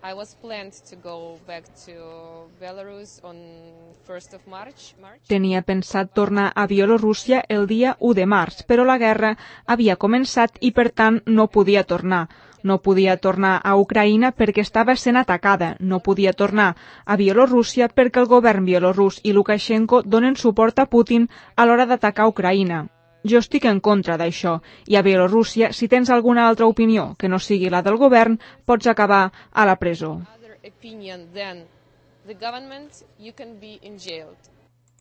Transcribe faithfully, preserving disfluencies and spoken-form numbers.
I was planned to go back to Belarus on first of March. Tenia pensat tornar a Bielorússia el dia u de març, però la guerra havia començat i per tant no podia tornar. No podia tornar a Ucraïna perquè estava sent atacada. No podia tornar a Bielorússia perquè el govern bielorús i Lukashenko donen suport a Putin a l'hora d'atacar Ucraïna. Jo estic en contra d'això, i a Bielorússia, si tens alguna altra opinió que no sigui la del govern, pots acabar a la presó. Other opinion than the government, you can be in jail.